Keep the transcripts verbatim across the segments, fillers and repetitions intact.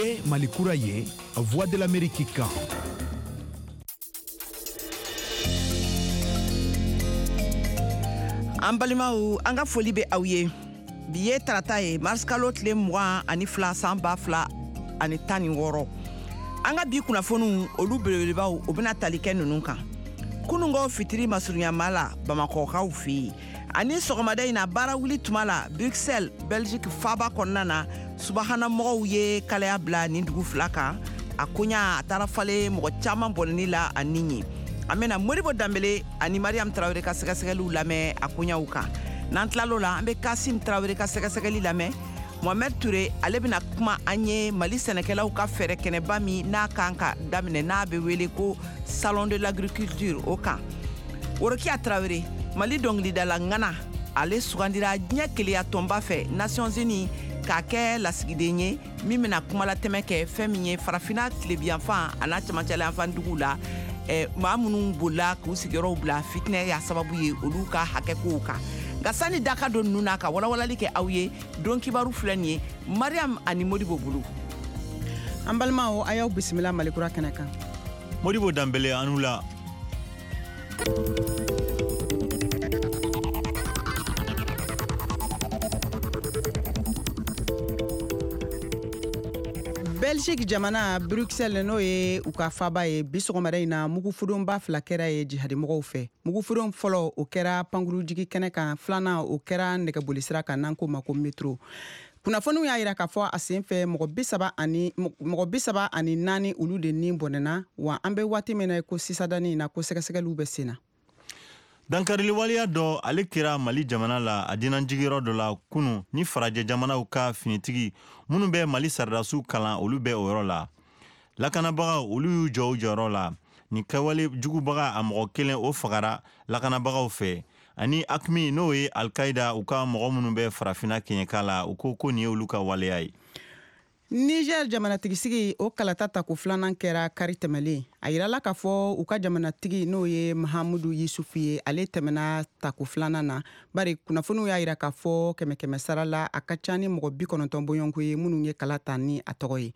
Ye Mali kura ye, Voix de l'Amérique kan. An balimaw, an ka foli bɛ aw ye. Bi ye tarata ye, mars kalo tile mugan ani fila, san ba fila ani tan ni wɔɔrɔ. An ka bi kunnafoniw, olu belebelebaw, o bɛna tali kɛ ninnu kan. Kununko fitiri masurunyama la Bamakɔkaw fɛ yen, ani sɔgɔmada in na baara wuli tuma la Bruxelles, Belgique faaba kɔnɔna na, subahanamɔgɔw ye kalaya bila nin dugu fila kan. A koɲa a taara falen mɔgɔ caman bɔnɛni la a ni ye. An bɛna Modibo Danbele ani Mariam Tarawele ka sɛgɛsɛgɛliw lamɛn a koɲaw kan. N'an tilal'o la, an bɛ Kasim Tarawele ka sɛgɛsɛgɛli lamɛn. Mohamed Touré, ale bɛna kuma an ye Mali sɛnɛkɛlaw ka fɛɛrɛ kɛnɛba min n'a kan ka daminɛ, n'a bɛ wele ko Salon de l'agriculture, o kan. Worokiya Tarawele, Mali dɔnkilidala ŋana, ale sugandira diɲɛ keleya tɔnba fɛ, Nations Unies, k'a kɛ lasigiden ye min bɛna kumalatɛmɛ kɛ fɛn min ye farafinna tilebiyanfan a n'a cɛmancɛlayanfan duguw la, eh, maa minnu bolila k'u sigiyɔrɔw bila fitinɛ y'a sababu ye, olu ka hakɛkow kan. Nka sani daka don ninnu na ka walawalali kɛ aw ye, don kibaru filɛ nin ye Mariam ani Modibo bolo. An balimaw, a y'aw bisimila Malikura kɛnɛ kan. Modibo Danbele, anu la. Belgique jamana, Bruxelles, n'o ye u ka faba ye, bi sɔgɔmada in na mugufudonba fila kɛra ye jihadimɔgɔw fɛ. Mugufudon fɔlɔ, o kɛra pankurujigi kɛnɛ kan, filanan, o kɛra nɛgɛbolisira kan n'an k'o ma ko metro. Kunnafoniw y'a yira k'a fɔ a sen fɛ mɔgɔ bi saba ani mɔgɔ bi saba ani naani, olu de ni bɔnɛna. Wa an bɛ waati min na ko sisadani in na, ko sɛgɛsɛgɛliw bɛ sen na. Dankarili waleya dɔ, ale kɛra Mali jamana la, a dinanjigiyɔrɔ dɔ la kunu, ni farajɛ jamanaw ka finitigi minnu bɛ Mali saridasiw kalan, olu bɛ o yɔrɔ la. Lakanabagaw, olu y'u jɔ u jɔyɔrɔ la. Nin kɛwale jugubaga, a mɔgɔ kelen, o fagara lakanabagaw fɛ. Ani AQMI, n'o ye Alkaida, u ka mɔgɔ minnu bɛ farafinna kɛɲɛka la, u ko ko nin ye olu ka waleya ye. Niger jamanatigisigi, o kalata tako filanan kɛra kari tɛmɛlen. A yirala k'a fɔ u ka jamanatigi, n'o ye Mahamudu Yusufu ye, ale tɛmɛna tako filanan na, bari kunnafoniw y'a yira k'a fɔ kɛmɛ kɛmɛ sara la, a ka ca ni mɔgɔ bi kɔnɔntɔn bɔɲɔgɔnko ye minnu ye kala ta ni a tɔgɔ ye.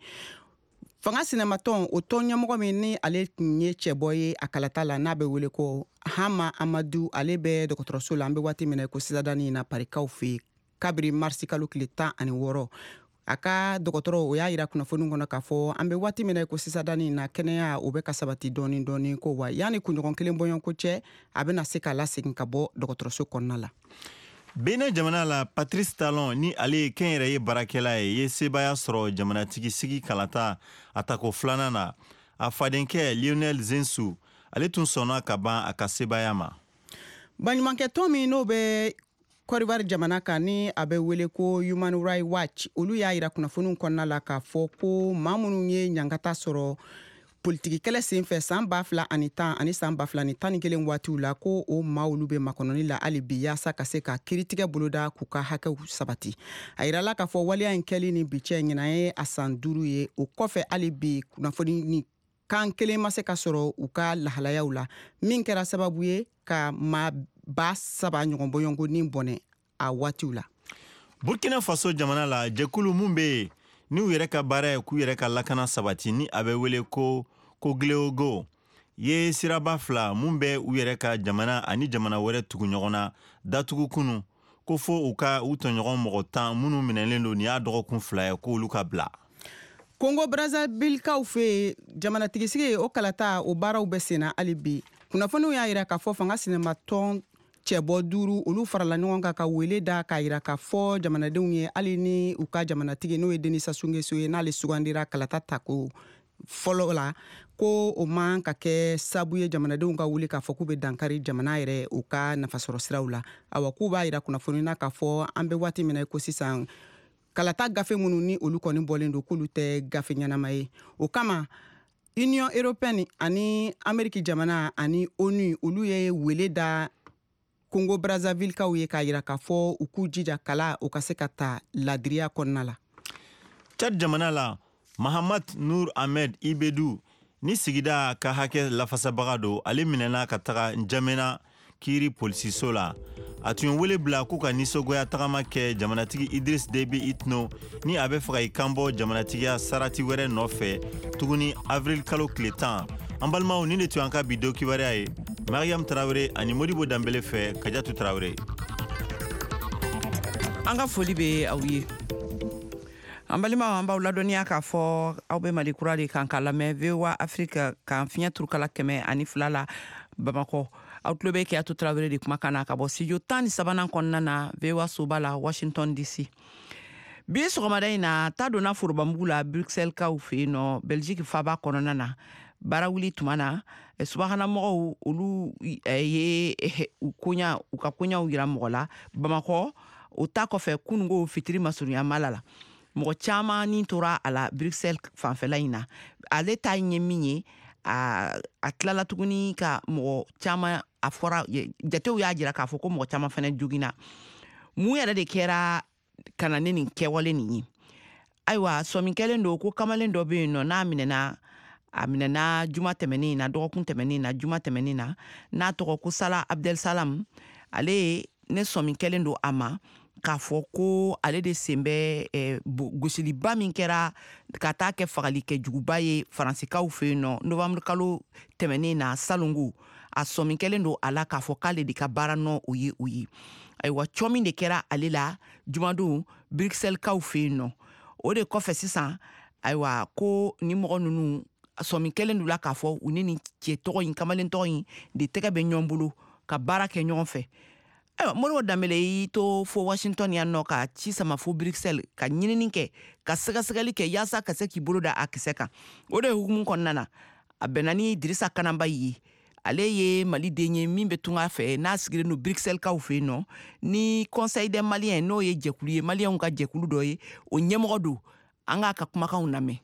Fanga sinamatɔn, o tɔn ɲɛmɔgɔ min ni ale tun ye cɛbɔ ye a kalata la, n'a bɛ wele ko Hama Amadu, ale bɛ dɔgɔtɔrɔso la an bɛ waati min na ko sisadani na Parikaw fɛ yen kabiri marisi kalo tile tan ani wɔɔrɔ. A ka dɔgɔtɔrɔ, o y'a yira kunnafoni kɔnɔ k'a fɔ an bɛ waati min na ko sisadani na, kɛnɛya o bɛ ka sabati dɔɔni dɔɔni ko wa yanni kunɲɔgɔn kelen bɔɲɔgɔnko cɛ, a bɛna se ka lasegin ka bɔ dɔgɔtɔrɔso kɔnɔna la. Benin jamana la, Patrice Talon, ni ale ye kɛnyɛrɛye baarakɛla ye, ye sebaaya sɔrɔ jamanatigi sigi kalata a tako filanan na. A fadenkɛ Lionel Zensu, ale tun sɔnna ka ban a ka sebaaya ma. Baɲumankɛtɔn min n'o bɛ Kɔdiwari jamana kan, ni a bɛ wele ko Human Rights Watch, olu y'a yira kunnafoniw kɔnɔna la k'a fɔ ko maa minnu ye ɲangata sɔrɔ politiki kɛlɛ senfɛ san ba fila ani tan ani san ba fila ni tan ni kelen waatiw la, ko o maa olu bɛ makɔnɔni la hali bi yaasa ka se ka kiiritigɛ boloda k'u ka hakɛw sabati. A yirala k'a fɔ waleya in kɛli ni bi cɛ, ɲinan ye a san duuru ye. O kɔfɛ, hali bi kunnafoni ni kan kelen ma se ka sɔrɔ u ka lahalayaw la, min kɛra sababu ye ka maa ba saba ɲɔgɔn bɔɲɔgɔnko ni bɔnɛ a waatiw la. Burkina Faso jamana la, jɛkulu mun bɛ yen n'u yɛrɛ ka baara ye k'u yɛrɛ ka lakana sabati, ni a bɛ wele ko Koglweogo, ye siraba fila mun bɛ u yɛrɛ ka jamana ani jamana wɛrɛ tugu ɲɔgɔn na datugu kunu, ko fo u ka u tɔɲɔgɔn mɔgɔ tan minnu minɛlen don nin y'a dɔgɔkun fila ye, k'olu ka bila. Kongo Brazzavillekaw fɛ yen, jamanatigisigi, o kalata, o baaraw bɛ senna hali bi. Kunnafoniw y'a yira k'a fɔ fanga sinamatɔn cɛbɔ duuru, olu farala ɲɔgɔn kan ka wele da k'a yira k'a fɔ jamanadenw ye, hali ni u ka jamanatigi, n'o ye Denis Sassou Nguesso ye, n'ale sugandira kalata tako fɔlɔ la, ko o man ka kɛ sabu ye jamanadenw ka wuli k'a fɔ k'u bɛ dankari jamana yɛrɛ u ka nafasɔrɔ siraw la. Awa, k'u b'a yira kunnafoni na k'a fɔ an bɛ waati min na ko sisan, kalata gafe minnu ni olu kɔni bɔlen don, k'olu tɛ gafe ɲɛnama ye. O kama, Union européenne ani Ameriki jamana ani ONU, olu ye wele da Kongo Brazzavillekaw ye k'a yira k'a fɔ u k'u jija kala o ka se ka ta ladiriya kɔnɔna la. Chad jamana la, Mahamad Nur Ahmed Ibedu, ni sigida ka hakɛ lafasabaga don, ale minɛna ka taga Njamena. kiiri polisiso la. A tun ye wele bila k'u ka nisɔngoya tagama kɛ jamanatigi Idriss Déby Itno ni a bɛ fɛ ka i kanbɔ jamanatigiya sarati wɛrɛ nɔfɛ tuguni avril kalo tile tan. An balimaw, nin de tun y'an ka bi don kibaruya ye. Mariam Tarawele ani Modibo Danbele fɛ, Kajatu Tarawele. An ka foli bɛ aw ye. An balimaw, an b'aw ladɔnniya k'a fɔ aw bɛ Mali Kura de kan ka lamɛn V O A Afrique kan, fiɲɛ turukala kɛmɛ ani fila la Bamakɔ. Aw tulo bɛ Kajatu Tarawele de kumakan na ka bɔ studio tan ni sabanan kɔnɔna na, V O A soba la, Washington D C. Bi sɔgɔmada in na, ta donna forobamugu la Bruxelles kaw fɛ yen nɔ, Belgique faba kɔnɔna na. Baara wuli tuma na, subahanamɔgɔw olu ye u koɲa, u ka koɲaw yira mɔgɔ la Bamakɔ. O ta kɔfɛ, kunungo fitiri masurunya mala la, mɔgɔ caman ni tora a la Bruxelles fanfɛla in na. Ale ta ye min ye, a, a tilala tuguni ka mɔgɔ caman, a fɔra jatew y'a jira k'a fɔ ko mɔgɔ caman fɛnɛ joginna. Mun yɛrɛ de kɛra ka na ne nin kɛwale nin ye? Ayiwa, sɔmi kɛlen don ko kamalen dɔ bɛ yen nɔ, n'a minɛna, a minɛna juma tɛmɛnen na, dɔgɔkun tɛmɛnen na, juma tɛmɛnen na, n'a tɔgɔ ko Sala Abdel Salam. Ale ne sɔmi kɛlen don a ma k'a fɔ ko ale de sen bɛ eh, gosiliba min kɛra ka taa kɛ fagali kɛjuguba ye Faransikaw fɛ yen nɔ novembre kalo tɛmɛnen na salongo. A sɔmi kɛlen don a la k'a fɔ k'ale de ka baara nɔ o ye o ye. Ayiwa, cɔ min de kɛra ale la jumadon Bruxellekaw fɛ yen nɔ, o de kɔfɛ sisan, ayiwa, ko ni mɔgɔ ninnu sɔmi kɛlen don la k'a fɔ u ni nin cɛ tɔgɔ in, kamalen tɔgɔ in de tɛgɛ bɛ ɲɔgɔn bolo ka baara kɛ ɲɔgɔn fɛ. Ayiwa, Modibo Danbele y'i to fo Washington yan nɔ ka ci sama fo Bruxelles, ka ɲinini kɛ, ka sɛgɛsɛgɛli kɛ yaasa ka se k'i bolo da a kisɛ kan. O de hukumu kɔnɔna na, a bɛnna ni Dirisa Kananba ye. Ale ye Maliden ye min bɛ tunga fɛ, n'a sigilen don Bruxellekaw fɛ yen nɔ, ni Conseil des Maliens, n'o ye jɛkulu ye, Maliyɛnw ka jɛkulu dɔ ye, o ɲɛmɔgɔ don. An k'a ka kumakanw lamɛn.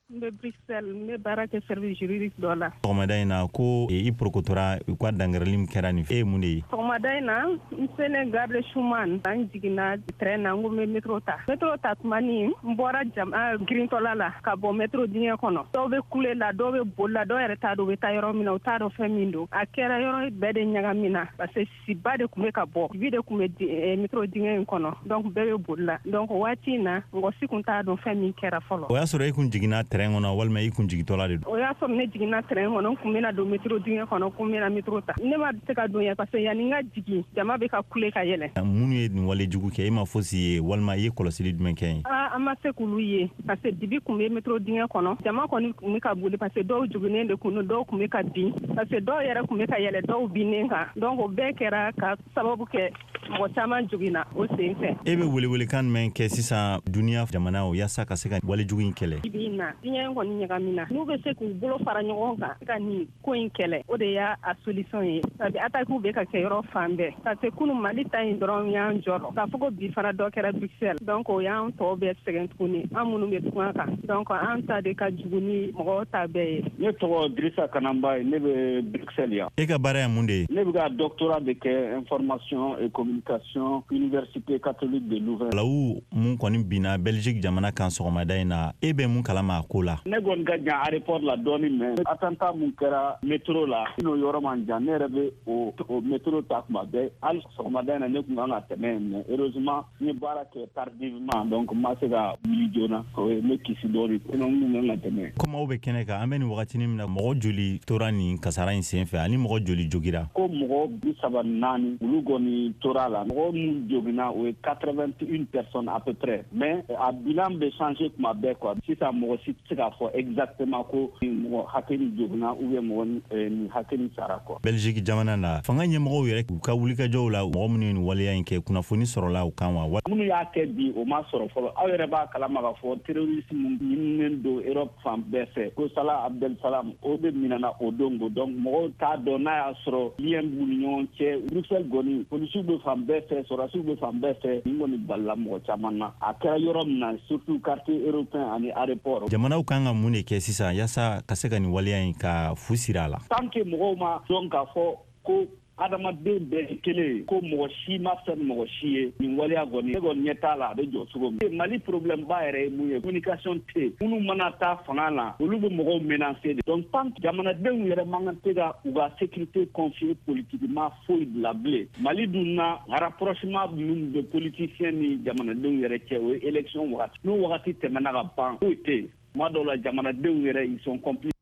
N bɛ Bruxelles, n bɛ baara kɛ service juridique dɔ la. Sɔgɔmada in na, ko i porokotora u ka dangarili min kɛra nin, e ye mun de ye? Sɔgɔmada in na, n selen gare de Schuman, an jiginna train na, n ko n bɛ métro ta. Métro ta tuma ni n bɔra jama girintɔla la ka bɔ métro dingɛ kɔnɔ, dɔw bɛ kule la, dɔw bɛ boli la, dɔw yɛrɛ t'a dɔn u bɛ taa yɔrɔ min na, u t'a dɔn fɛn min don. A kɛra yɔrɔ bɛɛ de ɲagamina parce que siba de tun bɛ ka bɔ, dibi de tun bɛ métro dingɛ in kɔnɔ, donc bɛɛ bɛ boli la. Donc waati in na, mɔgɔ si tun t'a dɔn fɛn min kɛra fɔlɔ. O y'a sɔrɔ e kun jiginna train kɔnɔ walima i kun jigintɔla de don? O y'a sɔrɔ ne jiginna train kɔnɔ, n kun bɛna don métro dingɛ kɔnɔ, kun bɛna métro ta. Ne ma se ka don yɛrɛ parce que yanni n ka jigin, jama bɛ ka kule ka yɛlɛ. Minnu ye nin wale jugu kɛ, e ma fosi ye walima i ye kɔlɔsili jumɛn kɛ yen? Aa, an ma se k'olu ye parce que dibi kun bɛ métro dingɛ kɔnɔ. Jama kɔni kun bɛ ka boli parce que dɔw jiginnen de kun don, dɔw kun bɛ ka bin parce que dɔw yɛrɛ kun bɛ ka yɛlɛ dɔw binnen kan. Donc o bɛɛ kɛra ka sababu kɛ mɔgɔ caman joginna o sen fɛ. E bɛ welewelekan jumɛn kɛ sisan duniya jamanaw yaasa ka se ka walejugu in kɛlɛ? Bi in na, diɲɛ kɔni ɲagamina. N'u bɛ se k'u bolo fara ɲɔgɔn kan ka nin ko in kɛlɛ, o de y'a a solution ye. Sabi attaque bɛ ka kɛ yɔrɔ fan bɛɛ, parce que kunu Mali ta in dɔrɔn y'an jɔrɔ, k'a fɔ ko bi fana dɔ kɛra Bruxelles, donc o y'an tɔw bɛɛ sɛgɛn tuguni, an minnu bɛ tunga kan. Donc an ta de ka jugu ni mɔgɔw ta bɛɛ ye. Ne tɔgɔ Dirisa Kananba ye, ne bɛ Bruxelles yan. E ka baara ye mun de ye? Ne bɛ ka doctorat de kɛ information et communication, Université catholique de Louvain. Lawu mun kɔni binna Belgique jamana kan sɔgɔmada in na, e bɛ mun kalama a ko la? Ne kɔni ka jan aéroport la dɔɔni, mais attentat mun kɛra métro la, n'o yɔrɔ man jan, ne yɛrɛ bɛ o o métro ta kuma bɛɛ. Hali sɔgɔmada in na, ne tun kan ka tɛmɛ yen, mais heureusement n ye baara kɛ tardivement, donc n ma se ka wuli joona, o ye ne kisi dɔɔni, sinon n tun kan ka tɛmɛ. Komi aw bɛ kɛnɛ kan, an bɛ nin wagatinin min na, mɔgɔ joli tora nin kasara in sen fɛ ani mɔgɔ joli jogira? Ko mɔgɔ bi saba ni naani, olu kɔni tora la. Mɔgɔ minnu joginna, o ye quatre-vingt-une personnes à peu près, mais a bilan bɛ changer kuma bɛɛ quoi. Sisan mɔgɔ si tɛ se k'a fɔ exactement ko mɔgɔ hakɛ nin joginna ou bien mɔgɔ nin hakɛ nin sara quoi. Belgique jamana na, fanga ɲɛmɔgɔw yɛrɛ u ka wulikajɔw la, mɔgɔ minnu ye nin waleya in kɛ, kunnafoni sɔrɔla u kan wa? Minnu y'a kɛ bi, o ma sɔrɔ fɔlɔ. Aw yɛrɛ b'a kalama k'a fɔ terroriste mun ɲininen don Europe fan bɛɛ fɛ, ko Salah Abdel Salam, o de minɛna o don ko. Donc mɔgɔw t'a dɔn n'a y'a sɔrɔ lien b'u ni ɲɔgɔn cɛ. Bruxelles kɔni, polisiw bɛ fan bɛɛ fɛ, sɔrɔdasiw bɛ fan bɛɛ fɛ. Nin kɔni balila mɔgɔ caman na, a kɛra yɔrɔ min na, surtout quartier européen ani aéroport. Jamanaw kan ka mun de kɛ sisan yaasa ka se ka nin waleya in ka fu siri a la? Tant que mɔgɔw ma dɔn k'a fɔ ko Adamaden bɛɛ ye kelen ye, ko mɔgɔ si ma fisa ni mɔgɔ si ye. Nin waleya kɔni, ne kɔni ɲɛ t'a la a bɛ jɔ cogo min. Mali problème ba yɛrɛ ye mun ye? Communication tɛ yen. Minnu mana taa fanga la, olu bɛ mɔgɔw menacer de. Donc tant que jamanadenw yɛrɛ man kan tɛ ka u ka sécurité confier politiquement foyi la bilen. Mali dun na, rapprochement minnu bɛ politicien ni jamanadenw yɛrɛ cɛ, o ye élection wagati. N'o wagati tɛmɛna ka ban, foyi tɛ yen. Tuma dɔw la, jamanadenw yɛrɛ, ils sont complices.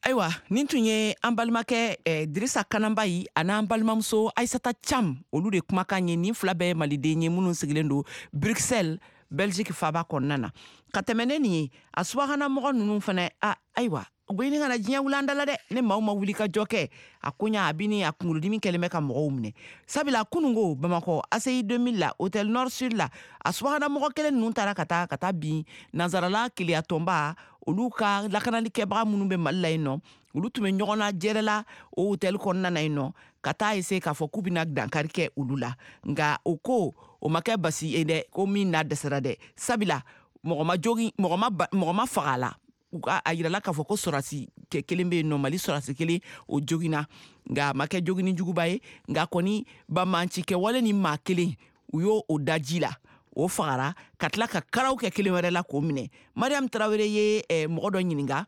Ayiwa, nin tun ye an balimakɛ eh, Dirisa Kananbayi a n'an balimamuso Aisata Cam, olu de kumakan ye. Nin fila bɛɛ ye maliden ye minnu sigilen don Bruxelles, Belgique faba kɔnɔna na. Ka tɛmɛ ne nin ye, a subahana mɔgɔ ninnu fana a, ayiwa, u bɛ ɲini ka na diɲɛ wuli an da la dɛ. Ne maaw ma wuli ka jɔ kɛ a koɲa, a bi ni a kunkolodimi kɛlen bɛ ka mɔgɔw minɛ, sabula kunungo Bamakɔ A C I deux mille la, Hôtel Nord Sud la, a subahana mɔgɔ kelen ninnu taara ka taa ka taa bin nansarala keleyatɔnba olu ka lakanalikɛbaga minnu bɛ Mali la yen nɔ. Olu tun bɛ ɲɔgɔn na jɛrɛ la o hôtel kɔnɔna na yen nɔ, ka taa ese k'a fɔ k'u bɛna dankari kɛ olu la. Nka o ko o ma kɛ basi ye dɛ, ko min n'a dɛsɛra dɛ, sabula mɔgɔ ma jogi, mɔgɔ ma mɔgɔ ma faga a la. U ka a yirala k'a fɔ ko sɔrɔsi kelen bɛ yen nɔ, Mali sɔrɔsi kelen, o jogina, nka a ma kɛ jogini juguba ye. Nka kɔni, banbanci kɛwale ni maa kelen, u y'o o da ji la, o fagara, ka tila ka karaw kɛ kelen wɛrɛ la k'o minɛ. Mariam Tarawele ye eh, mɔgɔ dɔ ɲininka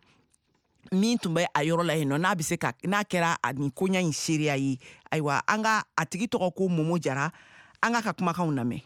min tun bɛ a yɔrɔ la yen nɔ, n'a bɛ se ka n'a kɛra a nin koɲa in seereya ye. Ayiwa, an ka a tigi tɔgɔ ko Momo Jara. An ka ka kumakanw lamɛn.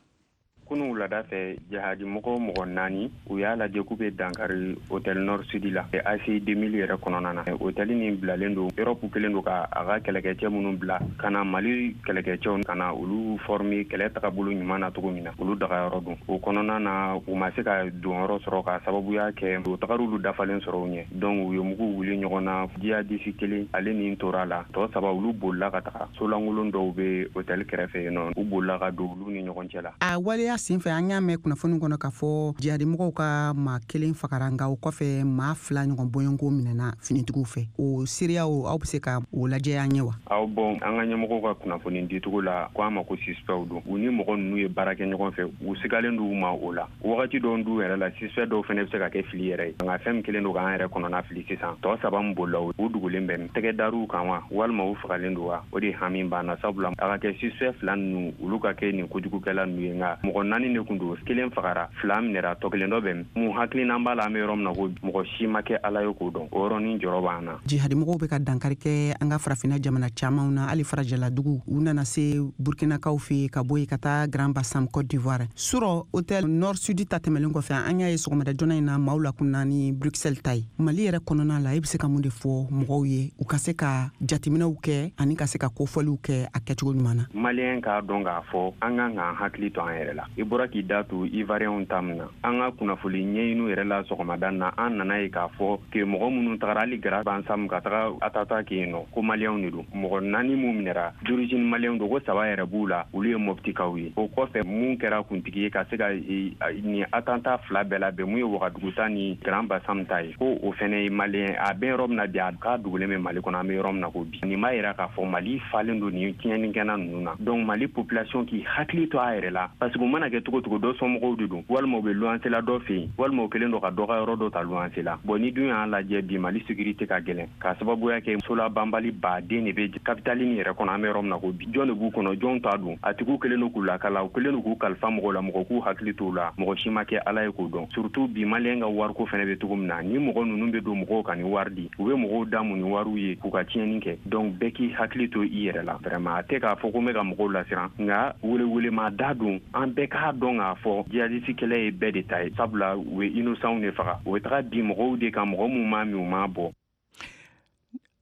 Kunu wulada fɛ, jahadi mɔgɔ mɔgɔ naani, u y'a lajɛ k'u bɛ dankari Hôtel Nord Sud la, A C I deux mille yɛrɛ kɔnɔna na. Hôtel nin bilalen don Europe kelen don ka a ka kɛlɛkɛcɛ minnu bila ka na Mali kɛlɛkɛcɛw ka na olu former kɛlɛ tagabolo ɲuman na cogo min na, olu dagayɔrɔ don. O kɔnɔna na, u ma se ka donyɔrɔ sɔrɔ ka sababuya kɛ u tagar'olu dafalen sɔrɔ u ɲɛ. Donc u ye mugu wuli ɲɔgɔn na. Jihadiste kelen, ale nin tora la, tɔ saba, olu bolila ka taga solankolon dɔw bɛ hôtel kɛrɛfɛ yen nɔ, u bolila ka don olu ni ɲɔgɔn cɛ la. A waleya senfɛ, an y'a mɛn kunnafoni kɔnɔ k'a fɔ jihadimɔgɔw ka maa kelen fagara, nka o kɔfɛ maa fila ɲɔgɔn bɔɲɔgɔnko minɛna finitigiw fɛ. O seereyaw, aw bɛ se ka o lajɛ an ye wa? Aw bɔn, an ka ɲɛmɔgɔw ka kunnafoni dicogo la, ko an ma ko suspectw don, u ni mɔgɔ ninnu ye baara kɛ ɲɔgɔn fɛ, u sigalen d'u ma. O la wagati dɔw du yɛrɛ la, suspect dɔw fɛnɛ bɛ se ka kɛ fili yɛrɛ ye. Nka fɛn min kelen don k'an yɛrɛ kɔnɔna fili sisan, tɔ saba min bolila, u dugulen bɛ tɛgɛ dar'u kan wa, walima u fagalen don wa, o de hami b'an na, sabula a ka kɛ suspect fila ninnu, olu ka kɛ nin kojugukɛla ninnu ye. Nka mɔgɔ naani de kun don, kelen fagara, fila minɛra, tɔ kelen dɔ bɛ mun hakilina b'a la. An bɛ yɔrɔ min na ko mɔgɔ si ma kɛ Ala ye k'o dɔn, o yɔrɔnin jɔrɔ b'an na. Jihadimɔgɔw bɛ ka dankari kɛ an ka farafinna jamana camanw na, hali farajɛladugu. U nana se Burkinakaw fɛ yen, ka bɔ yen ka taa Grand Bassam, Côte d'Ivoire. Surɔ Hôtel Nord Sud ta tɛmɛlen kɔfɛ, an y'a ye sɔgɔmada joona in na maaw lakunna ni Bruxelles ta ye. Mali yɛrɛ kɔnɔna la, e bɛ se ka mun de fɔ mɔgɔw ye u ka se ka jateminɛw kɛ ani ka se ka kofɔliw kɛ a kɛcogo ɲuman na? Maliyɛn k'a dɔn k'a fɔ an kan k'an hakili to an yɛrɛ la. I bɔra k'i da to Ivoiriyɛnw ta min na, an ka kunnafoni ɲɛɲiniw yɛrɛ la sɔgɔmada na, an nana ye k'a fɔ ke mɔgɔ minnu tagara hali Grand Bassam ka taga attentat kɛ yen nɔ, ko maliyɛnw de don. Mɔgɔ naani mun minɛra, d'origine maliyɛnw don, ko saba yɛrɛ b'u la, olu ye Mɔptikaw ye. O kɔfɛ, mun kɛra kuntigi ye ka se ka nin attentat fila bɛɛ labɛn, mun ye Wagadugu ta ni Grand Bassam ta ye, ko o fɛnɛ ye maliyɛn. A bɛ yɔrɔ min na bi, a k'a dugulen bɛ Mali kɔnɔ. An bɛ yɔrɔ min na ko bi, nin b'a yira k'a fɔ Mali falen don nin tiɲɛnikɛna ninnu na. Donc Mali population k'i hakili to a yɛrɛ la, parce que u mana kɛ cogo cogo, dɔ somɔgɔw de don, walima u bɛ luwanse la dɔ fɛ yen, walima u kɛlen don ka dɔ ka yɔrɔ dɔ ta luwanse la. Bon, ni dun y'a lajɛ bi, Mali sécurité ka gɛlɛn k'a sababuya kɛ sola banbali baden de bɛ capitale nin yɛrɛ kɔnɔ. An bɛ yɔrɔ min na ko bi, jɔn de b'u kɔnɔ, jɔn t'a dun? A tigiw kɛlen don k'u lakala, u kɛlen don k'u kalifa mɔgɔw la, mɔgɔ k'u hakili t'u la, mɔgɔ si ma kɛ Ala ye k'o dɔn. Surtout bi, maliyɛn ka wariko fɛnɛ bɛ cogo min na, ni mɔgɔ ninnu bɛ don mɔgɔw kan ni wari di, u bɛ mɔgɔw damu ni wariw ye k'u ka tiɲɛni kɛ. Donc bɛɛ k'i hakili to i yɛrɛ la. Vraiment, a tɛ k'a fɔ ko n bɛ ka mɔgɔw lasiran, nka welewelema da don, an bɛɛ k'a dɔn k'a fɔ jihadiste kɛlɛ ye bɛɛ de ta ye, sabula u bɛ innocentw de faga, u bɛ taga bin mɔgɔw de kan, mɔgɔ mun m'a min, u m'a bɔ.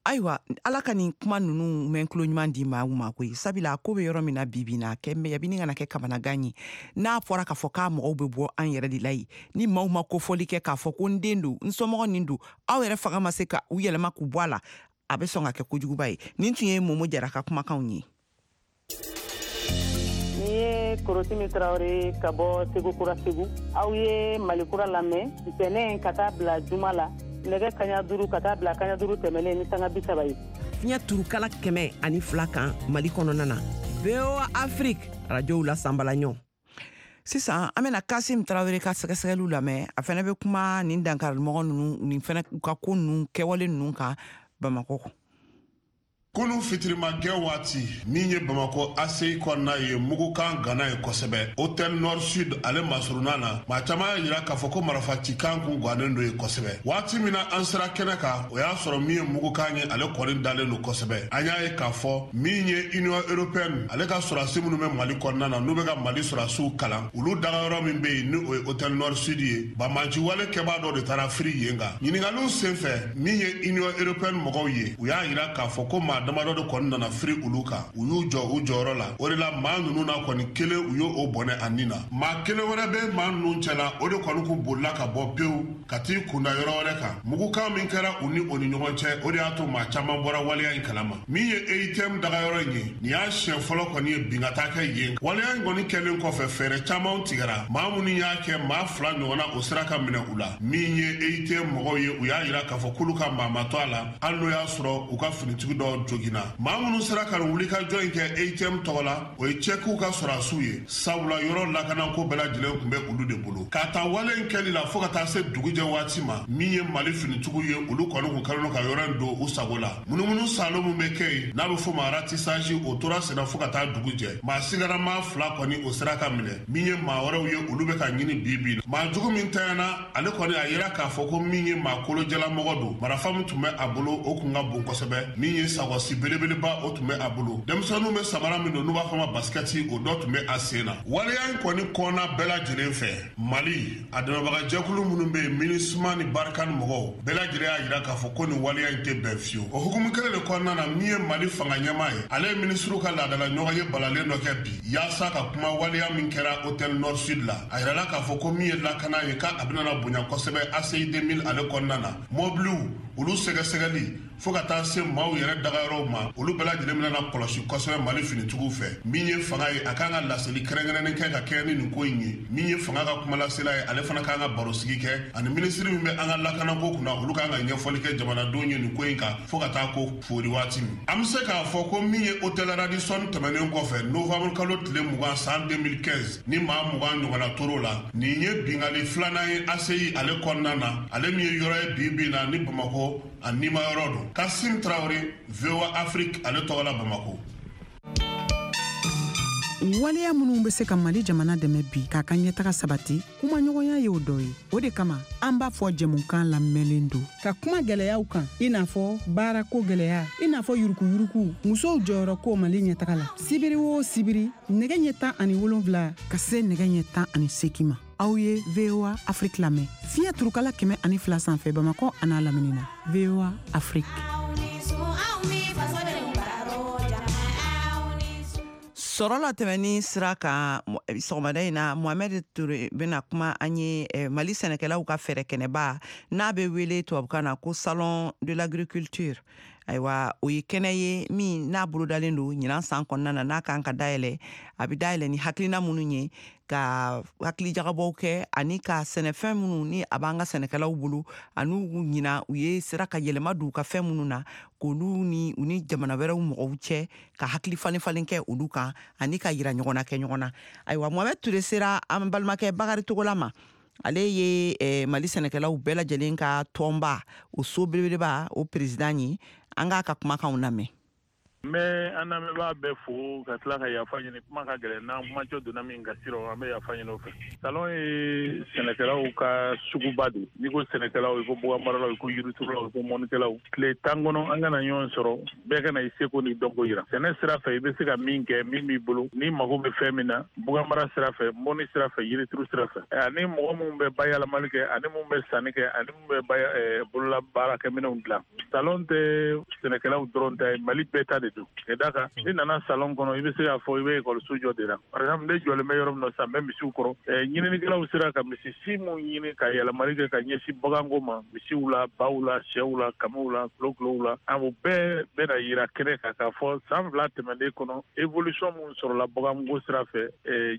Ayiwa, Ala ka nin kuma ninnu mɛn tulo ɲuman di maaw ma koyi, sabula a ko bɛ yɔrɔ min na bi bi na, kɛ a bɛ kana kɛ kamanagan ye. N'a fɔra k'a fɔ k'a mɔgɔw bɛ bɔ an yɛrɛ de la yen, ni maaw ma kofɔli kɛ k'a fɔ ko n den don, n somɔgɔ nin don, aw yɛrɛ fanga ma se ka u yɛlɛma k'u bɔ a la, a bɛ sɔn ka kɛ kojuguba ye. Nin tun ye Momo Jara ka kumakanw ye. Ni ye Korotimi Tarawele ka bɔ Segu Kura, Segu. Aw ye Mali Kura lamɛn ntɛnɛn ka taa bila juma la, nɛgɛ kaɲa duuru ka taa bila kaɲa duuru tɛmɛnen ni sanga bi saba ye. Fiɲɛ turukala kɛmɛ ani fila kan Mali kɔnɔna na, V O A Afrique, arajow la sanbala ɲɔ. Sisan an bɛna Kasim Tarawele ka sɛgɛsɛgɛliw lamɛn. A fɛnɛ bɛ kuma nin dankarimɔgɔ ninnu, nin fɛnɛ u ka ko ninnu kɛwale ninnu kan Bamakɔ. Kunu fitirimakɛ waati min ye Bamakɔ A C I kɔnɔna ye, mugukan gana ye kosɛbɛ. Hôtel Nord Sud ale masurunna na, maa caman y'a yira k'a fɔ ko marifacikan kun gannen don ye kosɛbɛ. Waati min na an sera kɛnɛ kan, o y'a sɔrɔ min ye mugukan ye, ale kɔni dalen don kosɛbɛ. An y'a ye k'a fɔ min ye Union européenne ale ka sɔrɔdasi minnu bɛ Mali kɔnɔna na, n'u bɛ ka Mali sɔrɔdasiw kalan, olu dagayɔrɔ min bɛ yen, ni o ye Hôtel Nord Sud ye, banbanci wale kɛbaa dɔ de taara firi yen kan. Ɲininkaliw senfɛ, min ye Union européenne mɔgɔw ye, u y'a yira k'a fɔ ko maa damadɔ de kɔni nana firi olu kan, u y'u jɔ u jɔyɔrɔ la. O de la maa ninnu na kɔni, kelen u y'o bɔnɛ a nin na, maa kelen wɛrɛ bɛ maa ninnu cɛla, o de kɔni kun bolila ka bɔ pewu ka t'i kunda yɔrɔ wɛrɛ kan. Mugukan min kɛra u ni o ni ɲɔgɔn cɛ, o de y'a to maa caman bɔra waleya in kalama. Min ye E I T M dagayɔrɔ in ye, nin y'a siɲɛ fɔlɔ kɔni ye bin ka taa kɛ yen. Waleya in kɔni kɛlen kɔfɛ, fɛɛrɛ caman tigɛra. Maa minnu y'a kɛ, maa fila ɲɔgɔnna, o sera ka minɛ u la. Min ye E I T M mɔgɔw ye, u y'a yira k'a fɔ k'olu ka maa ma to a la, hali n'o y'a sɔrɔ u ka finitigi dɔw joginna. Maa minnu sera ka nin wulikajɔ in kɛ E I T M tɔgɔ la, o ye cɛkiw ka sɔrɔdasiw ye, sabula yɔrɔ lakanako bɛɛ lajɛlen tun bɛ olu de bolo. K'a ta wale in kɛli la fo ka taa se dugujɛ waati ma, min ye Mali finitigiw ye, olu kɔni kun kɛlen don ka yɔrɔ in don u sago la. Munumunu salo min bɛ kɛ yen, n'a bɛ f'o ma ratissage, o tora senna fo ka taa dugu jɛ. Maa sigara maa fila kɔni, o sera ka minɛ. Min ye maa wɛrɛw ye, olu bɛ ka ɲini bi bi. Maa jugu min tanyana, ale kɔni a yira k'a fɔ ko min ye maa kolojalamɔgɔ don. Marifa min tun bɛ a bolo, o kun ka bon kosɛbɛ. Min ye sagɔsi belebeleba, o tun bɛ a bolo. Denmisɛnninw bɛ samara min don, n'u b'a fɔ ma basikɛti, o dɔ tun bɛ a sen na. Waleya in kɔni kɔnna bɛɛ lajɛlen fɛ. Mali a dɛmɛbagajɛkulu minnu bɛ yen, MINUSMA ni Barkhane mɔgɔw bɛɛ lajɛlen y'a yira k'a fɔ ko nin waleya in tɛ bɛn fiyewu. O hukumu kelen de kɔnɔna na, min ye Mali fanga ɲɛmaa ye, ale ye minisiriw ka laadala ɲɔgɔn ye balalen dɔ kɛ bi yaasa ka kuma waleya min kɛra Hôtel Nord Sud la. A yirala k'a fɔ ko min ye lakana ye, k'a bɛna bonya kosɛbɛ A C I deux mille ale kɔnɔna na. Mɔbiliw olu sɛgɛsɛgɛli fo ka taa se maaw yɛrɛ dagayɔrɔw ma, olu bɛɛ lajɛlen bɛna kɔlɔsi kosɛbɛ Mali finitigiw fɛ. Min ye fanga ye, a kan ka laseli kɛrɛnkɛrɛnnen kɛ ka kɛɲɛ ni nin ko in ye. Min ye fanga ka kumalasela ye, ale fana kan ka barosigi kɛ ani minisiri min bɛ an ka lakanako kunna, olu kan ka ɲɛfɔli kɛ jamanadenw ye nin ko in kan fo ka taa ko foori waati min. An bɛ se k'a fɔ ko min ye Hôtel Radisson tɛmɛnen kɔfɛ, novembre kalo tile mugan san deux mille quinze, ni maa mugan ɲɔgɔnna tor'o la, nin ye bingali filanan ye A C I ale kɔnɔna na, ale min ye yɔrɔ ye bi bi in na ni Bamakɔ a nima yɔrɔ don. Kasim Tarawele, V O A Afrique ale tɔgɔ la, Bamako. Waleya minnu bɛ se ka Mali jamana dɛmɛ bi k'a ka ɲɛtaga sabati, kumaɲɔgɔnya y'o dɔ ye. O de kama an b'a fɔ jɛmukan lamɛnlen don ka kuma gwɛlɛyaw kan, i n'a fɔ baarako gwɛlɛya, i n'a fɔ yurukuyuruku, musow jɔyɔrɔ ko Mali ɲɛtaga la. Sibiri o sibiri, nɛgɛ ɲɛ tan ani wolonfila ka se nɛgɛ ɲɛ tan ani seki ma, aw ye V O A Afrique lamɛn fiɲɛ turukala kɛmɛ ani fila sanfɛ, Bamakɔ a n'a lamini na. V O A Afrique. Sɔrɔ la tɛmɛni sira kan, sɔgɔmada in na, Mohamɛd Ture bɛna kuma an ye Mali sɛnɛkɛlaw ka fɛɛrɛ kɛnɛba n'a bɛ wele tubabukan na ko Salon de l'agriculture. Ayiwa, o ye kɛnɛ ye min n'a bolodalen don ɲinan san kɔnɔna na, n'a kan ka dayɛlɛ. A bɛ dayɛlɛ ni hakilina minnu ye, ka hakilijagabɔw kɛ ani ka sɛnɛfɛn minnu ni a b'an ka sɛnɛkɛlaw bolo ani ɲina u ye sera ka yɛlɛma don u ka fɛn minnu na, k'olu ni u ni jamana wɛrɛw mɔgɔw cɛ ka hakili falen falen kɛ olu kan ani ka yira ɲɔgɔn na kɛ ɲɔgɔn na. Ayiwa, Mohamɛd Ture sera an balimakɛ Bakari Togola ma. Ale ye eh, Mali sɛnɛkɛlaw bɛɛ lajɛlen ka tɔnba o so belebeleba o président ye. An k'a ka kumakanw lamɛn. N bɛ an lamɛnbaa bɛɛ fo ka tila ka yafa ɲini. Kuma ka gɛlɛn, n'an kumacɛ donna min gasi rɔ, an bɛ yafa ɲini o fɛ. Salon ye sɛnɛkɛlaw ka suguba de. N'i ko sɛnɛkɛlaw, i ko baganmaralaw, i ko yiriturulaw, i ko mɔnikɛlaw. Tile tan kɔnɔ, an kana ɲɔgɔn sɔrɔ, bɛɛ ka na i seko n'i dɔnko yira. Sɛnɛ sira fɛ, i bɛ se ka min kɛ, min b'i bolo, n'i mago bɛ fɛn min na, baganmara sira fɛ, mɔni sira fɛ, yirituru sira fɛ, ani mɔgɔ minnu bɛ bayɛlɛmali kɛ, ani minnu bɛ sanni kɛ, ani minnu bɛ bolola baarakɛminɛnw dilan. Salon tɛ sɛnɛkɛlaw dɔrɔn ta ye, Mali bɛɛ ta de don. Ka d'a kan, n'i nana salon kɔnɔ, i bɛ se k'a fɔ i bɛ ekɔliso jɔ de la. Par exemple, ne jɔlen bɛ yɔrɔ min na sisan, n bɛ misiw kɔrɔ. Ɲininikɛlaw sera ka misi si mun ɲini ka yɛlɛmali kɛ ka ɲɛsin baganko ma, misiw la, baw la, sɛw la, kamiw la, kulokulow la, a o bɛɛ bɛna yira kɛnɛ kan k'a fɔ san fila tɛmɛnen kɔnɔ, évolution mun sɔrɔla baganko sira fɛ,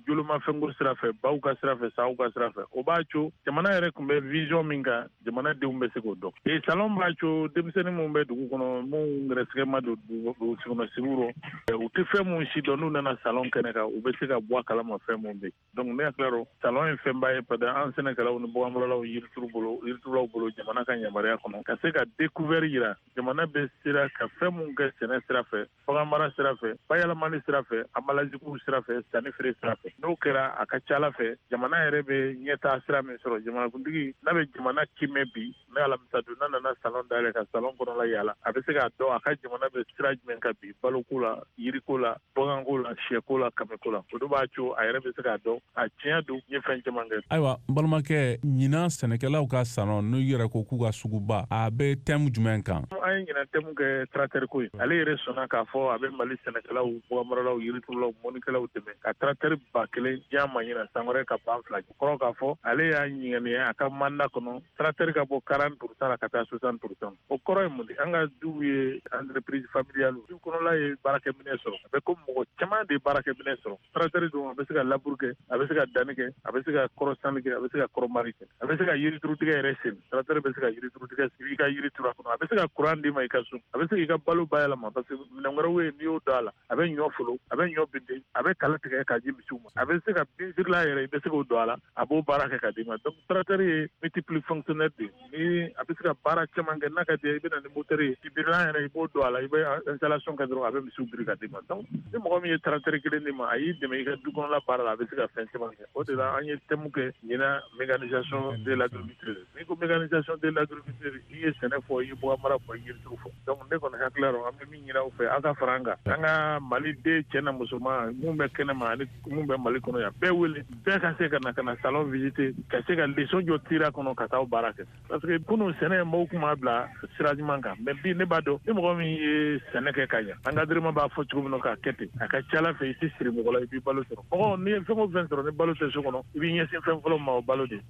jolomafɛnko sira fɛ, baw ka sira fɛ, saw ka sira fɛ. O b'a to jamana yɛrɛ tun bɛ vision min kan, jamanadenw bɛ se k'o dɔn. Salon b'a to denmisɛnnin minnu bɛ dugu kɔnɔ, minnu gɛrɛsɛgɛ ma don dugutigi burusi kɔnɔ sigiw rɔ, u tɛ fɛn mun si dɔn, n'u nana salon kɛnɛ kan, u bɛ se ka bɔ a kalama fɛn mun bɛ. Donc ne hakili rɔ, salon ye fɛnba ye parce que an sɛnɛkɛlaw ni baganmaralaw, yirituru bolo, yiriturulaw bolo, jamana ka yamaruya kɔnɔ ka se ka découvert yira jamana bɛ sera ka fɛn mun kɛ sɛnɛ sira fɛ, baganmara sira fɛ, bayɛlɛmani sira fɛ, emballage sira fɛ, sanni feere sira fɛ. N'o kɛra, a ka ca ala fɛ, jamana yɛrɛ bɛ ɲɛtaa sira min sɔrɔ. Jamanakuntigi n'a bɛ jamana kimɛ bi, ne alamisa don n'a nana salon dayɛlɛ ka salon kɔnɔla yaala, a bɛ se k'a dɔn a ka jamana bɛ sira jumɛn kan bi, baloko la, yiriko la, baganko la, sɛko la, kamiko la. O de b'a to a yɛrɛ bɛ se k'a dɔn a tiɲɛ don n ye fɛn caman kɛ. Ayiwa, n balimakɛ, ɲinan sɛnɛkɛlaw ka salon, n'u yɛrɛ ko k'u ka suguba, a bɛ thème jumɛn kan? An ye ɲinan thème kɛ tracteur ko ye. Ale yɛrɛ sɔnna k'a fɔ a bɛ Mali sɛnɛkɛlaw, baganmaralaw, yiriturulaw, mɔnnikɛlaw dɛmɛ ka tracteur ba kelen diya ma ɲinan, san wɛrɛ ka ban fila. Kɔrɔ k'a fɔ ale y'a ɲininka a ka mandat kɔnɔ, tracteur ka bɔ quarante pour cent la ka taa soixante pour cent. O kɔrɔ ye mun de? An ka duw ye entreprise familiale, du kɔnɔla ye baarakɛminɛ sɔrɔ. A bɛ komi mɔgɔ caman de ye baarakɛminɛ sɔrɔ. Tracteur dun, a bɛ se ka labour kɛ, a bɛ se ka danni kɛ, a bɛ se ka kɔrɔsanni kɛ, a bɛ se ka kɔrɔmari kɛ, a bɛ se ka yiriturutigɛ yɛrɛ sen. Tracteur bɛ se ka yiriturutigɛ, i ka yiri turu a kɔnɔ. A bɛ se ka courant d'i ma i ka so, a bɛ se k'i ka balo bayɛlɛma parce que minɛn wɛrɛw bɛ yen, n'i y'o don a la, a bɛ ɲɔ folo, a bɛ ɲɔ binde, a bɛ kala tigɛ k'a di misiw ma, a bɛ se ka binsirila yɛrɛ, i bɛ se k'o don a la, a b'o baara kɛ ka d'i ma. Donc tracteur ye multiple fonctionnaire de ye, ni a bɛ se ka baara caman kɛ. N'a ka di i bɛ na ni moteur ye, birilan yɛrɛ i b'o don a la, i bɛ installation kɛ dɔrɔn, a bɛ misiw biri ka d'i ma. Donc ni mɔgɔ min ye tracteur kelen d'i ma, a y'i dɛmɛ i ka du kɔnɔla baara la, a bɛ se ka fɛn caman kɛ. O de la an ye thème kɛ ɲinan, mécanisation de l'agriculture. N'i ko mécanisation de l'agriculture, i ye sɛnɛ fɔ, i ye baganmara fɔ, i ye yirituru fɔ. Donc ne kɔni hakili la, an bɛ min ɲini aw fɛ, aw ka fara an kan, an ka Mali den cɛ na musoman mun bɛ kɛnɛma ani mun bɛ Mali kɔnɔ yan, bɛɛ wele, bɛɛ ka se ka na ka na salon visiter, ka se ka leçon jɔ tira kɔnɔ ka taa baara kɛ. Parce que kunun sɛnɛ mɔgɔw tun b'a bila sira ɲuman kan, mais bi ne b'a dɔn ni mɔgɔ min ye sɛnɛ kɛ ka ɲɛ, encadrement b'a fɔ cogo min na k'a kɛ ten, a ka ca ala fɛ i tɛ siri mɔgɔ la, i b'i balo sɔrɔ. Mɔgɔ n'i ye fɛn o fɛn sɔrɔ ni balo tɛ so kɔnɔ, i b'i ɲɛsin fɛn fɔlɔ ma, o balo de.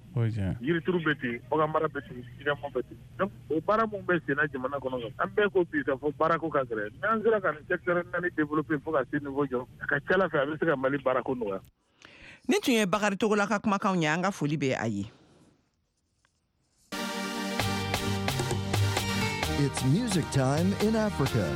Yirituru bɛ ten, baganmara bɛ ten, jɛgɛmɔ bɛ ten. Donc o baara mun bɛ senna jamana kɔnɔ, an bɛɛ ko bi k'a fɔ baarako ka gɛlɛn. N'an sera ka nin secteur naani développer fo ka se niveau jɔ, a ka ca ala fɛ a bɛ se ka Mali baarako nɔgɔya. Nin tun ye Bakari Togola ka kumakanw ye, an ka foli bɛ a ye. It's music time in Africa.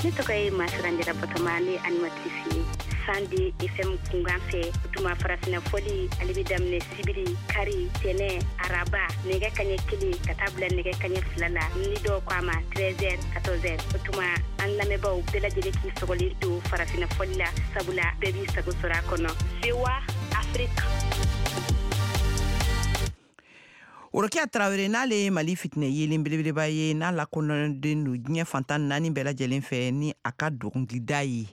Ne tɔgɔ ye Masiranjara Batoma, ne animatrice ye Sandi F M kunkan fɛ. O tuma farafinna fɔli ale bɛ daminɛ sibiri, kari, tɛnɛ, araba, nɛgɛ kaɲɛ kelen ka taa bila nɛgɛ kaɲɛ fila la, ni dɔw ko a ma treize heures quatorze heures. O tuma an lamɛnbaaw bɛɛ lajɛlen k'i sɔgɔlen to farafinna fɔli la, sabula bɛɛ b'i sago sɔrɔ a kɔnɔ. V O A Afrique. Orokiya Tarawele, n'ale ye Mali fitinɛ yelen belebeleba ye, n'a lakodɔnnen don diɲɛ fantan naani bɛɛ lajɛlen fɛ ni a ka dɔnkilida ye,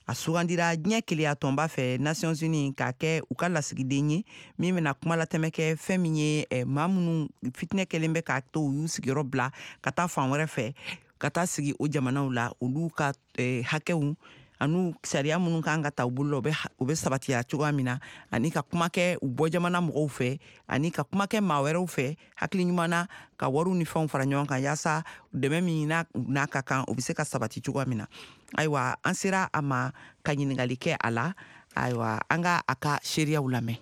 a sugandira diɲɛ keleya tɔnba fɛ, Nations Unies, k'a kɛ u ka lasigiden ye min bɛna kuma latɛmɛ kɛ fɛn min ye maa minnu fitinɛ kɛlen bɛ k'a to u y'u sigiyɔrɔ bila ka taa fan wɛrɛ fɛ ka taa sigi o jamanaw la, olu ka hakɛw ani sariya minnu kan ka ta u bolo la, u bɛ sabatiya cogoya min na, ani ka kuma kɛ u bɔ jamana mɔgɔw fɛ, ani ka kuma kɛ maa wɛrɛw fɛ hakili ɲuman na, ka wariw ni fɛnw fara ɲɔgɔn kan yaasa dɛmɛ min n'a ka kan o bɛ se ka sabati cogoya min na. Ayiwa, an sera a ma ka ɲininkali kɛ a la. Ayiwa, an ka a ka seereyaw lamɛn.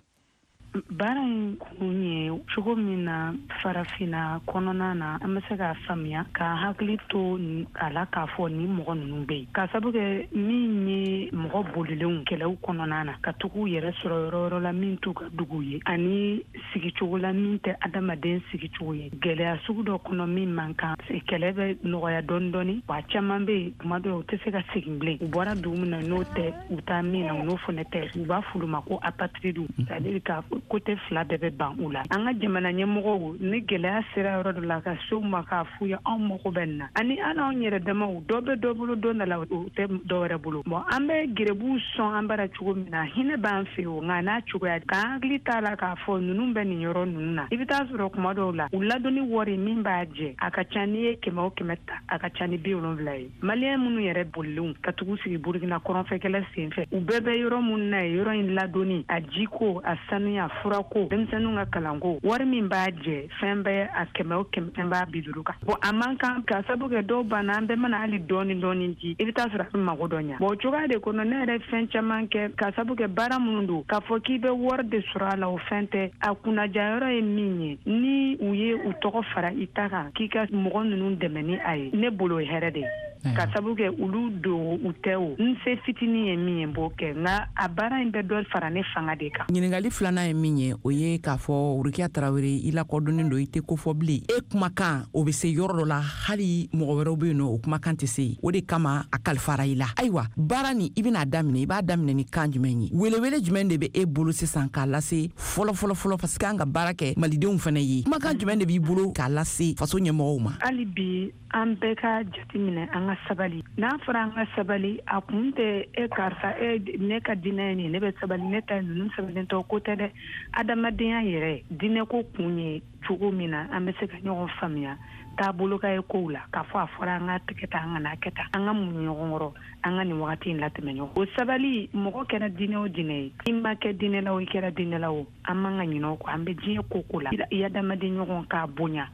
Baara in kun ye cogo min na farafinna kɔnɔna na, an bɛ se k'a faamuya k'an hakili to a la k'a fɔ ni mɔgɔ ninnu bɛ yen, k'a sababu kɛ min ye mɔgɔ bolilenw kɛlɛw kɔnɔna na ka tugu u yɛrɛ sɔrɔ yɔrɔ yɔrɔ la min t'u ka dugu ye, ani sigicogo la min tɛ adamaden sigicogo ye, gɛlɛya sugu dɔ kɔnɔ min man kan. Kɛlɛ bɛ nɔgɔya dɔɔni dɔɔni, wa caman bɛ yen tuma dɔw u tɛ se ka segin bilen, u bɔra dugu min na n'o tɛ u taa min na n'o fana tɛ, u b'a f'olu ma ko apatride, c'est-à-dire k'a côté fila bɛɛ bɛ ban u la. An ka jamana ɲɛmɔgɔw, ni gɛlɛya sera yɔrɔ dɔ la ka se u ma k'a f'u ye anw mago bɛ nin na, ani an anw yɛrɛ damaw dɔ bɛ dɔ bolo don dɔ la o tɛ dɔ wɛrɛ bolo. Bon, an bɛ gerebuw sɔn an bara cogo min na, hinɛ b'an fɛ yen, nka n'a cogoya k'an hakili t'a la k'a fɔ ninnu bɛ nin yɔrɔ ninnu na. I bɛ taa sɔrɔ kuma dɔw la u ladonni wari min b'a jɛ a ka ca, n'i ye kɛmɛ o kɛmɛ ta a ka ca ni bi wolonwula ye. Maliyɛn minnu yɛrɛ bolilenw ka tugu sigi Burukina kɔrɔnfɛkɛlɛ sen fɛ, u bɛɛ bɛ yɔrɔ minnu na yen, yɔrɔ in ladonni, a jiko, a sanuya, furako, denmisɛnninw ka kalanko, wari min b'a jɛ fɛn bɛɛ a kɛmɛ o kɛmɛ fɛn b'a bi duuru kan. Bon, a man kan k'a sababu kɛ dɔw banna, an bɛɛ mana hali dɔɔni dɔɔni di, i bɛ taa sɔrɔ a bɛ mago dɔ ɲa. Bon, o cogoya de kɔnɔ ne yɛrɛ fɛn caman kɛ k'a sababu kɛ baara minnu don, k'a fɔ k'i bɛ wari de sɔrɔ a la o fɛn tɛ. A kunnajayɔrɔ ye min ye, ni u ye u tɔgɔ fara i ta kan k'i ka mɔgɔ ninnu dɛmɛ ni a ye, ne bolo ye hɛrɛ de ye. Ka sabu kɛ olu don u tɛ o n se fitinin ye min ye n b'o kɛ, nka a baara in bɛ dɔ fara ne fanga de kan. Ɲininkali filanan ye min ye, o ye k'a fɔ Rokiya Tarawele, i lakodɔnnen don, i tɛ ko fɔ bilen, e kumakan o bɛ se yɔrɔ dɔ la, hali mɔgɔ wɛrɛw bɛ yen nɔ o kumakan tɛ se yen, o de kama a kalifara i la. Ayiwa, baara nin i bɛna daminɛ, i b'a daminɛ ni kan jumɛn ye? Welewele jumɛn de bɛ e bolo sisan k'a lase fɔlɔ fɔlɔ fɔlɔ, parce que an ka baara kɛ malidenw fana ye, kumakan jumɛn de b'i bolo k'a lase faso ɲɛmɔgɔw ma? Hali bi an bɛɛ ka jateminɛ an ka sabali. N'a fɔra an ka sabali, a kun tɛ e karisa e ne ka diinɛ ye nin, ne bɛ sabali, ne ta ninnu sabalilen tɛ, o ko tɛ dɛ. Adamadenya yɛrɛ diinɛ ko kun ye cogo min na an bɛ se ka ɲɔgɔn faamuya taabolo ka ye kow la, k'a fɔ a fɔra an ka tigɛ tan, an kana kɛ tan, an ka muɲu ɲɔgɔn kɔrɔ, an ka nin wagati in latɛmɛ ɲɔgɔn. O sabali, mɔgɔ kɛra diinɛ o diinɛ ye, i ma kɛ diinɛ la o, i kɛra diinɛ la o, an man ka ɲinɛ o kɔ. An bɛ diɲɛ ko ko la, i adamaden ɲɔgɔn k'a bonya,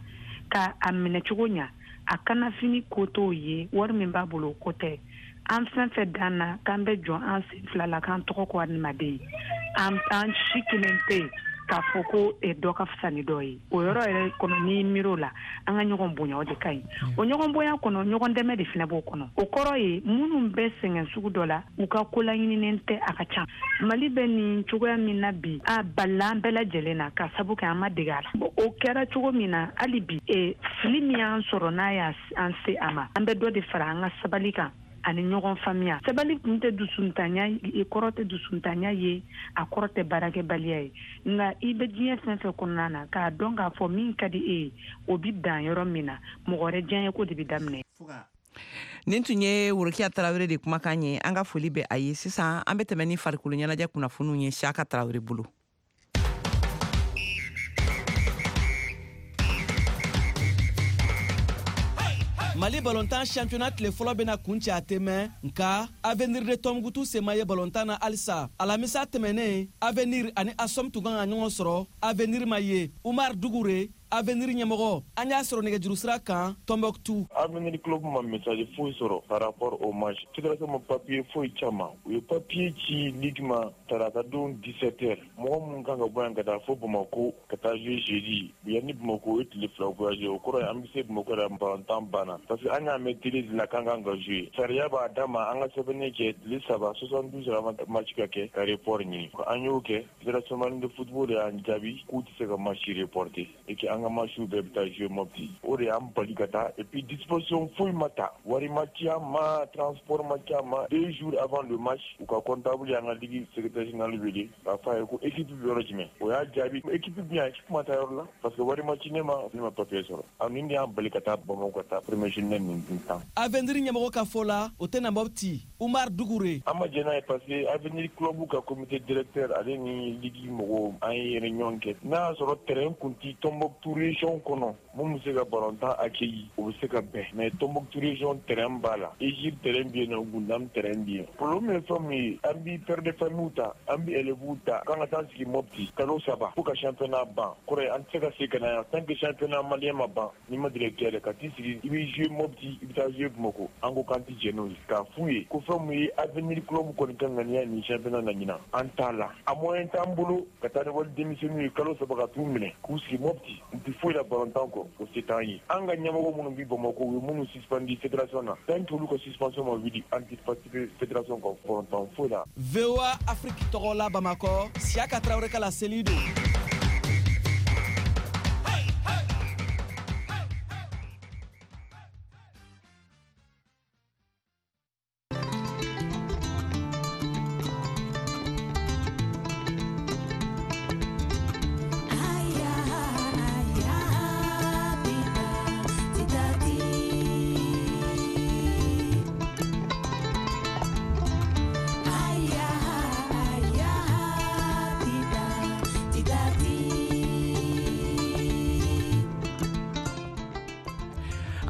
k'a minɛ cogo ɲa, a kanafini ko t'o ye, wari min b'a bolo o ko tɛ. An fɛn fɛn dan na k'an bɛ jɔ an sen fila la k'an tɔgɔ ko adamaden, an an si kelen tɛ yen k'a fɔ ko dɔ ka fisa ni dɔ ye. O yɔrɔ yɛrɛ kɔnɔ, n'i miiri o la, an ka ɲɔgɔn bonya, o de ka ɲi. O ɲɔgɔn bonya kɔnɔ, ɲɔgɔn dɛmɛ de fana b'o kɔnɔ. O kɔrɔ ye minnu bɛ sɛgɛn sugu dɔ la, u ka ko laɲininen tɛ, a ka ca. Mali bɛ nin cogoya min na bi, a balila an bɛɛ lajɛlen na ka sabu kɛ an ma dege a la. O kɛra cogo min na, hali bi fili min y'an sɔrɔ n'a y'an se a ma, an bɛ dɔ de fara an ka sabali kan ani ɲɔgɔn faamuya. Sabali kun tɛ dusuntanya, i kɔrɔ tɛ dusuntanya ye, a kɔrɔ tɛ baarakɛbaliya ye. Nka i bɛ diɲɛ fɛn fɛn kɔnɔna na, k'a dɔn k'a fɔ min ka di e ye, o bɛ dan yɔrɔ min na, mɔgɔ wɛrɛ diyaɲɛ ko de bɛ daminɛ. Nin tun ye Rokiya Tarawele de kumakan ye, an ka foli bɛ a ye. Sisan an bɛ tɛmɛ ni farikolo ɲɛnajɛ kunnafoniw ye Siyaka Tarawele bolo. Mali balontan championnat tile fɔlɔ bɛna kuncɛ a tɛ mɛn, nka Avenir de Tombouctou sema ye balontan na halisa. Alamisa tɛmɛnen, Avenir ani Asom tun kan ka ɲɔgɔn sɔrɔ, Avenir ma ye. Umar Dugure, Avenir ɲɛmɔgɔ, an y'a sɔrɔ nɛgɛjuru sira kan Tombouctou. Avenir club ma message foyi sɔrɔ par rapport au match. Fédération ma papier foyi caman. U ye papier ci ligue ma tarata don dix-sept heures. Mɔgɔ minnu kan ka bɔ yan ka taa fo Bamako ka taa jouer jeudi. Yanni Bamako o ye tile fila voyage, o kɔrɔ ye an bɛ se Bamako yɛrɛ balontan banna. Parce que an y'a mɛn télé de la k'an kan ka jouer. Sariya b'a d'a ma an ka sɛbɛnni kɛ tile saba soixante-douze heures avant match ka kɛ ka report ɲini. An y'o kɛ, Fédération malienne de football de y'an jaabi k'u tɛ se ka match reporter et que an ka match bɛɛ bɛ taa jouer Mopti. O de y'an bali ka taa et puis disposition foyi ma ta, wari ma ci an ma, transport ma ci an ma. Deux jours avant le match, u ka comptable y'an ka ligue secrétaire général wele k'a fɔ a ye ko équipe bɛ yɔrɔ jumɛn. O y'a jaabi équipe bɛ yan, équipe ma taa yɔrɔ la parce que wari ma ci ne ma, ne ma papier sɔrɔ. A nin de y'an bali ka taa Bamakɔ ka taa premier journée nin tan. Avenir ɲɛmɔgɔ ka fɔ la, o tɛna Mopti. Umar Dugure. An ma jɛn n'a ye parce que Avenir club ka comité directeur ale ni ligue mɔgɔw an ye réunion kɛ. N'a y'a sɔrɔ terrain kun ti Tombouctou région kɔnɔ, mun bɛ se ka balontan accueillir, o bɛ se ka bɛn. Mais Tombouctou région terrain b'a la, Égypte terrain bɛ yen nɔ, Gundam terrain bɛ yen. Problème ye fɛn min ye, an bɛ père de famille ta, an bɛ élèves ta, k'an ka taa sigi Mopti kalo saba fo ka championnat ban. Kɔrɔ ye an tɛ se ka segin ka na yan tant que championnat malien ma ban. N'i ma directeur yɛrɛ ka t'i sigi, i bɛ jouer Mopti, i bɛ taa jouer Bamako. An ko k'an tɛ jɛn n'o ye. K'a f'u ye ko fɛn min ye Avenir club kɔni ka ŋaniya nin championnat na ɲinan, an t'a la. A moyen t'an bolo ka taa ni wali denmisɛnninw ye kalo saba ka t'u minɛ k'u sigi Mopti, u tɛ foyi la balontan kɔ, o se t'an ye. An ka ɲɛmɔgɔ minnu bɛ Bamakɔ, u ye minnu suspendu fédération na, tant que olu ka suspension ma wuli, an tɛ participer fédération ka balontan foyi la. V O A Afrique tɔgɔ la Bamakɔ, Siyaka Tarawele ka laseli don.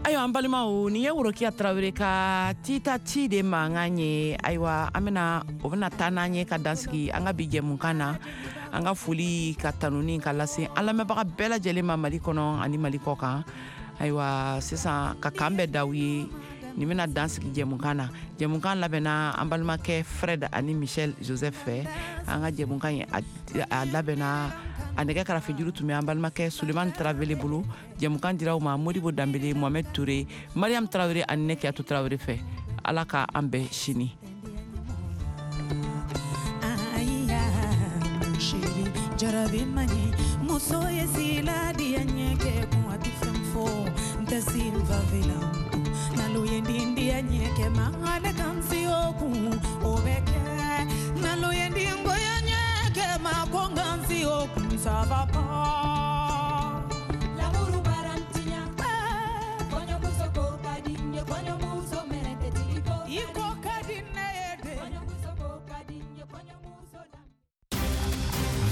Ayiwa an balimaw, nin ye Rokiya Tarawele ka tita ci de mankan ye. Ayiwa, an bɛna o bɛna taa n'an ye ka dansigi an ka bi jɛmukan na. An ka foli ka tanuni ka lase an lamɛnbaga bɛɛ lajɛlen ma Mali kɔnɔ ani Mali kɔ kan. Ayiwa, sisan ka kan bɛɛ d'aw ye, nin bɛna dansigi jɛmukan na. Jɛmukan labɛnna an balimakɛ Fred ani Michel Joseph fɛ. An ka jɛmukan ye a labɛnna A nɛgɛ karafejuru tun bɛ an balimakɛ Sulemani Tarawele bolo. Jɛmukan dira aw ma Modibo Danbele, Mohamed Touré, Mariam Tarawele ani ne Kiyatu Tarawele fɛ. Ala ka an bɛn sini. Jarabi mani muso ye sila diya ɲɛkɛ kun a tɛ fɛn fɔ n tɛ sin favela nalo ye den diya ɲɛkɛ ma ale kan si o kun o bɛ kɛ nalo ye den goya ɲɛkɛ ma ko n kan si o kun ça va pas.